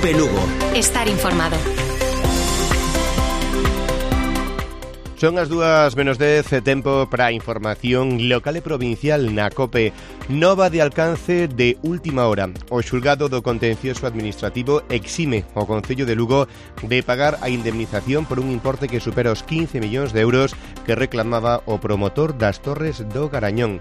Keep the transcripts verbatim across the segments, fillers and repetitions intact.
COPE Lugo. Estar informado. Son as dúas menos dez, tempo para a información local e provincial na COPE. Nova de alcance de última hora. O xulgado do contencioso administrativo exime o Concello de Lugo de pagar a indemnización por un importe que supera os quince millóns de euros que reclamaba o promotor das Torres do Garañón.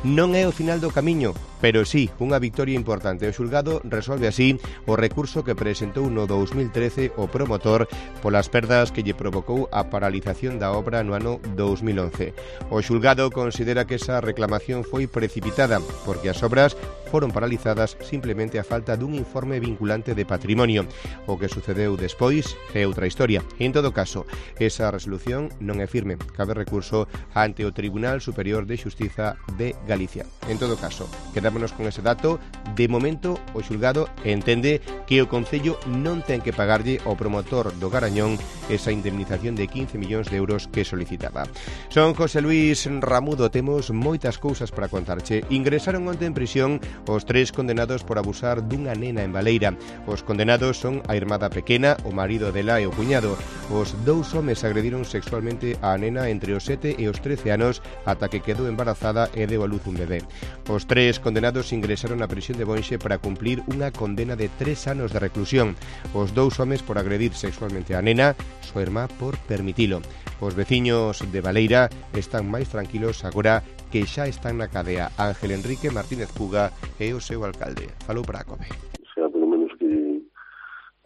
Non é o final do camiño, pero sí unha victoria importante. O xulgado resolve así o recurso que presentou no dous mil trece o promotor polas perdas que lle provocou a paralización da obra no ano dous mil once. O xulgado considera que esa reclamación foi precipitada porque as obras foron paralizadas simplemente a falta dun informe vinculante de patrimonio. O que sucedeu despois é outra historia. En todo caso, esa resolución non é firme. Cabe recurso ante o Tribunal Superior de Xustiza de Galicia. En todo caso, quedámonos con ese dato. De momento, o xulgado entende que o Concello non ten que pagarlle ao promotor do Garañón esa indemnización de quince millóns de euros que solicitaba. Son José Luis Ramudo, temos moitas cousas para contarche. Ingresaron onte en prisión os tres condenados por abusar dunha nena en Baleira. Os condenados son a irmada pequena, o marido dela e o cuñado. Os dous homes agrediron sexualmente a nena entre os sete e os trece anos ata que quedou embarazada e deu a luz un bebé. Os tres condenados ingresaron á prisión de Bonxe para cumplir unha condena de tres anos de reclusión. Os dous homes por agredir sexualmente a nena, súa irmá por permitilo. Os veciños de Baleira están máis tranquilos agora que xa están na cadea. Ángel Enrique Martínez Puga é o seu alcalde. Falou para a COPE. Xa, pelo menos que,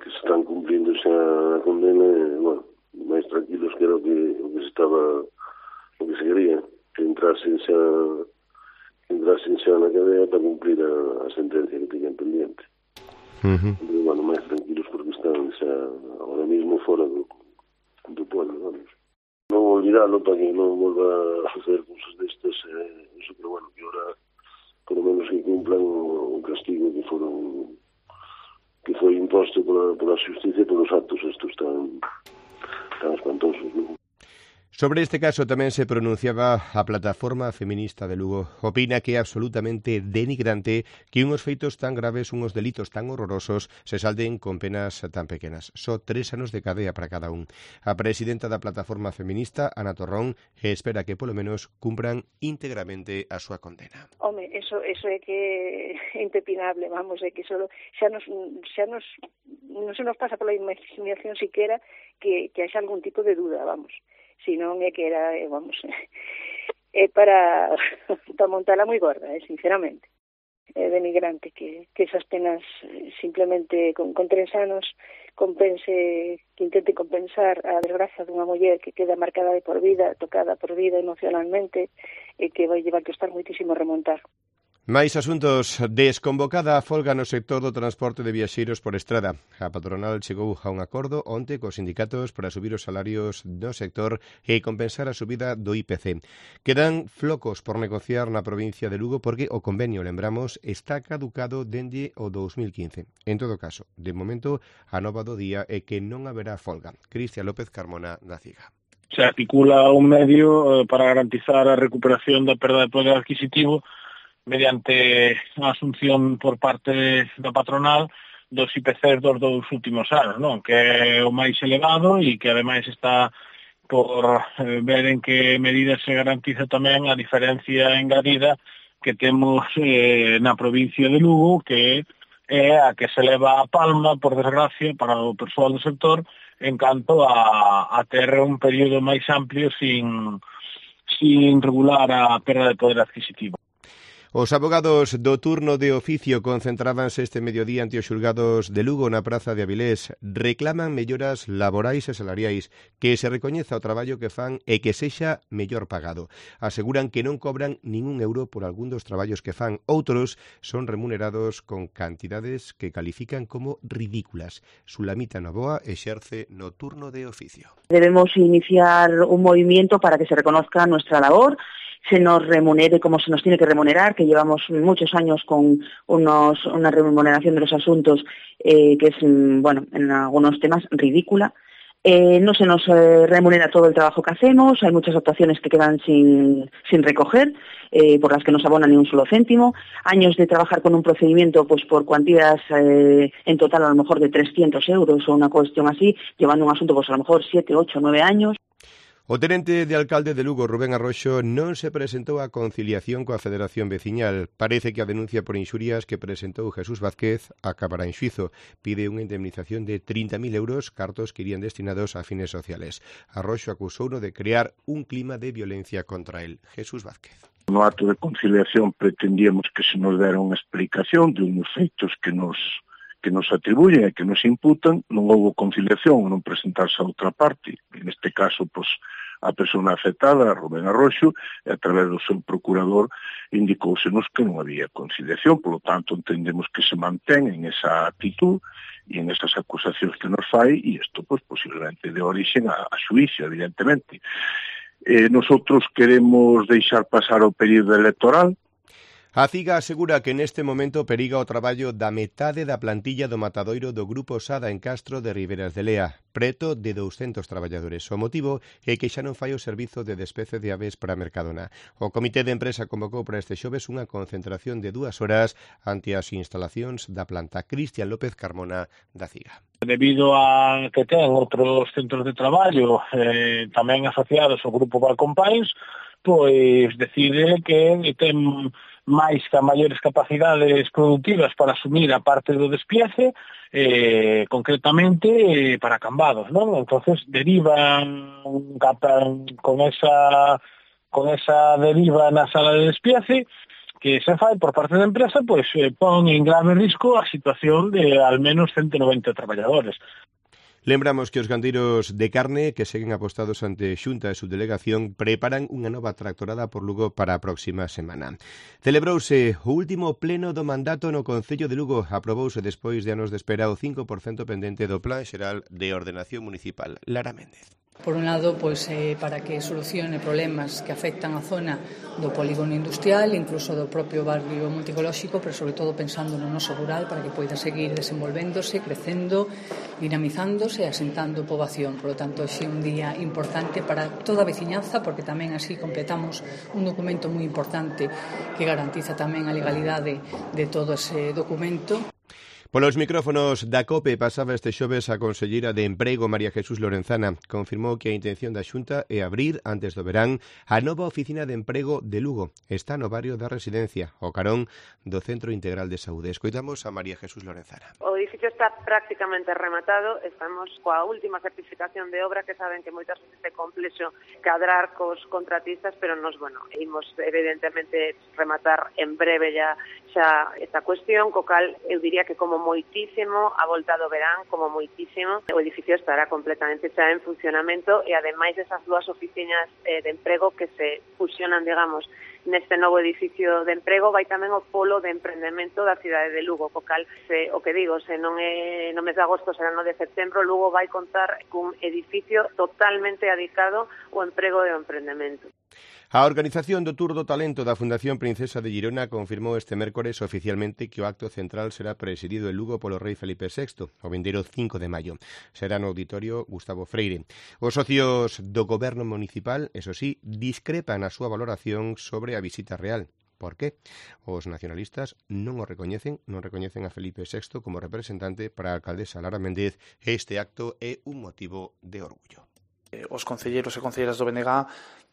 que se están cumplindo xa a condena, bueno, máis tranquilos que era o que, o que se estaba, o que se quería, que entrasen xa, que entrasen xa na cadea para cumplir a, a sentencia que teñan pendiente. Uh-huh. Pero, bueno, máis tranquilos porque están xa ahora mismo fora do, do pueblo, vamos. Non olvidalo para que non volva a suceder cosas destas, eh, eso, pero bueno, que ahora por lo menos que cumplan o, o castigo que foron que foi imposto pola, pola justicia por os actos estos tan, tan espantosos, non? Sobre este caso tamén se pronunciaba a Plataforma Feminista de Lugo. Opina que é absolutamente denigrante que unhos feitos tan graves, unhos delitos tan horrorosos, se salden con penas tan pequenas. Só tres anos de cadea para cada un. A presidenta da Plataforma Feminista, Ana Torrón, espera que polo menos cumpran íntegramente a súa condena. Home, eso, eso é que é impepinable, vamos, é que solo xa nos, xa nos non se nos pasa pola imaginación siquera que, que haxa algún tipo de duda, vamos. Si non é que era, vamos, é para, para montarla moi gorda, eh, sinceramente. É denigrante que, que esas penas simplemente con, con tres anos compense, que intente compensar a desgracia dunha muller que queda marcada de por vida, tocada por vida emocionalmente e que vai llevar que estar moitísimo remontar. Máis asuntos. Desconvocada a folga no sector do transporte de viaxeiros por estrada. A patronal chegou a un acordo onte cos sindicatos para subir os salarios do sector e compensar a subida do I P C. Quedan flocos por negociar na provincia de Lugo porque o convenio, lembramos, está caducado dende o dous mil quince. En todo caso, de momento, a nova do día é que non haberá folga. Cristian López Carmona, da CIGA. Se articula un medio para garantizar a recuperación da perda de poder adquisitivo mediante a asunción por parte da patronal dos I P Cs dos dous últimos anos, non? Que é o máis elevado e que ademais está por eh, ver en que medida se garantiza tamén a diferencia engadida que temos eh, na provincia de Lugo, que é a que se leva a palma, por desgracia, para o persoal do sector, en canto a, a ter un período máis amplio sin, sin regular a perda de poder adquisitivo. Os abogados do turno de oficio concentrábanse este mediodía ante os xulgados de Lugo na praza de Avilés. Reclaman melloras laborais e salariais, que se recoñeza o traballo que fan e que sexa mellor pagado. Aseguran que non cobran ningún euro por algún dos traballos que fan. Outros son remunerados con cantidades que califican como ridículas. Sulamita Novoa exerce no turno de oficio. Debemos iniciar un movimiento para que se reconozca nuestra labor, se nos remunere como se nos tiene que remunerar, que llevamos muchos años con unos, una remuneración de los asuntos eh, que es, bueno, en algunos temas ridícula. Eh, no se nos eh, remunera todo el trabajo que hacemos, hay muchas actuaciones que quedan sin, sin recoger, eh, por las que no se abona ni un solo céntimo, años de trabajar con un procedimiento pues por cuantías eh, en total a lo mejor de trescientos euros o una cuestión así, llevando un asunto pues a lo mejor siete, ocho, nueve años. O tenente de alcalde de Lugo, Rubén Arroxo, non se presentou a conciliación coa Federación Veciñal. Parece que a denuncia por inxurias que presentou Jesús Vázquez acabará en xuizo. Pide unha indemnización de trinta mil euros, cartos que irían destinados a fines sociales. Arroxo acusouno de crear un clima de violencia contra él. Jesús Vázquez. No acto de conciliación pretendíamos que se nos dera unha explicación de uns feitos que nos que nos atribuyen e que nos imputan. Non houve conciliación, non presentarse a outra parte. En este caso, pois, a persona afectada, Rubén Arroxo, e a través do seu procurador indicousenos que non había conciliación, polo tanto entendemos que se mantén en esa actitud e en esas acusacións que nos fai, e isto, pois, posiblemente de orixen a, a xuízo, evidentemente. Eh, nosotros queremos deixar pasar o período electoral. A CIGA asegura que neste momento periga o traballo da metade da plantilla do matadoiro do Grupo Sada en Castro de Riberas de Lea, preto de douscentos traballadores. O motivo é que xa non fai o servizo de despece de aves para Mercadona. O Comité de Empresa convocou para este xoves unha concentración de dúas horas ante as instalacións da planta. Cristian López Carmona, da CIGA. Debido a que ten outros centros de traballo eh, tamén asociados ao Grupo Valcompáns, pois decide que ten máis que a maiores capacidades productivas para asumir a parte do despiece, eh, concretamente eh, para cambados, non? Entonces derivan con esa con esa deriva na sala de despiece que se fai por parte da empresa, pois eh, pon en grave risco a situación de al menos ciento noventa traballadores. Lembramos que os gandeiros de carne que seguen apostados ante Xunta e Subdelegación preparan unha nova tractorada por Lugo para a próxima semana. Celebrouse o último pleno do mandato no Concello de Lugo. Aprobouse despois de anos de espera o cinco por cento pendente do Plan Xeral de Ordenación Municipal. Lara Méndez. Por un lado, pois, eh, para que solucione problemas que afectan a zona do polígono industrial, incluso do propio barrio multicolóxico, pero sobre todo pensando no noso rural para que poida seguir desenvolvéndose, crecendo, dinamizándose e asentando poboación. Por lo tanto, é un día importante para toda a veciñanza, porque tamén así completamos un documento moi importante que garantiza tamén a legalidade de todo ese documento. Polos micrófonos da COPE pasaba este xoves a conselleira de Emprego María Jesús Lorenzana. Confirmou que a intención da Xunta é abrir, antes do verán, a nova oficina de emprego de Lugo. Está no barrio da Residencia, ao carón do Centro Integral de Saúde. Escoitamos a María Jesús Lorenzana. O edificio está prácticamente rematado. Estamos coa última certificación de obra, que saben que moitas veces é complexo cadrar cos contratistas, pero nos, bueno, imos evidentemente rematar en breve ya xa esta cuestión, co cal eu diría que como moitísimo, a volta do verán, como moitísimo, o edificio estará completamente xa en funcionamento e ademais desas dúas oficinas eh, de emprego que se fusionan, digamos, neste novo edificio de emprego, vai tamén o polo de emprendemento da cidade de Lugo, co cal, se, o que digo, se non é no mes de agosto, será no de setembro, Lugo vai contar cun edificio totalmente dedicado ao emprego e ao emprendemento. A organización do Tour do Talento da Fundación Princesa de Girona confirmou este mércores oficialmente que o acto central será presidido en Lugo polo rei Felipe sexto, o vindeiro cinco de maio. Será no auditorio Gustavo Freire. Os socios do goberno municipal, eso sí, discrepan a súa valoración sobre a visita real. Por qué? Os nacionalistas non o recoñecen, non recoñecen a Felipe sexto como representante para a alcaldesa Lara Méndez. Este acto é un motivo de orgullo. Os concelleiros e concelleiras do B N G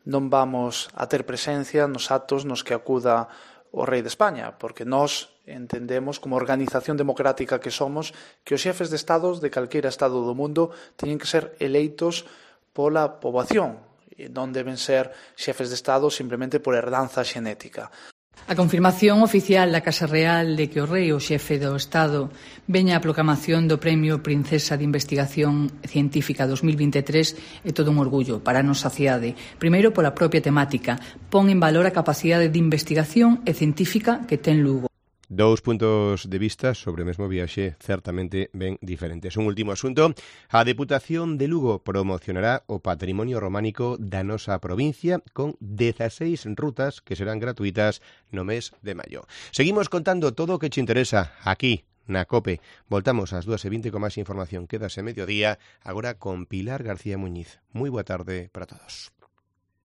non vamos a ter presencia nos actos nos que acuda o rei de España, porque nós entendemos, como organización democrática que somos, que os xefes de estados de calquera estado do mundo teñen que ser eleitos pola poboación, e non deben ser xefes de estado simplemente por herdanza xenética. A confirmación oficial da Casa Real de que o rei, o xefe do Estado, veña a proclamación do Premio Princesa de Investigación Científica dos mil vinte e tres é todo un orgullo para a nosa cidade. Primeiro, pola propia temática, pon en valor a capacidade de investigación e científica que ten Lugo. Dous puntos de vista sobre o mesmo viaxe certamente ben diferentes. Un último asunto, a Deputación de Lugo promocionará o patrimonio románico da nosa provincia con dezaseis rutas que serán gratuitas no mes de maio. Seguimos contando todo o que che interesa aquí na COPE. Voltamos ás dúas e vinte con máis información. Quédase mediodía, agora con Pilar García Muñiz. Moi boa tarde para todos.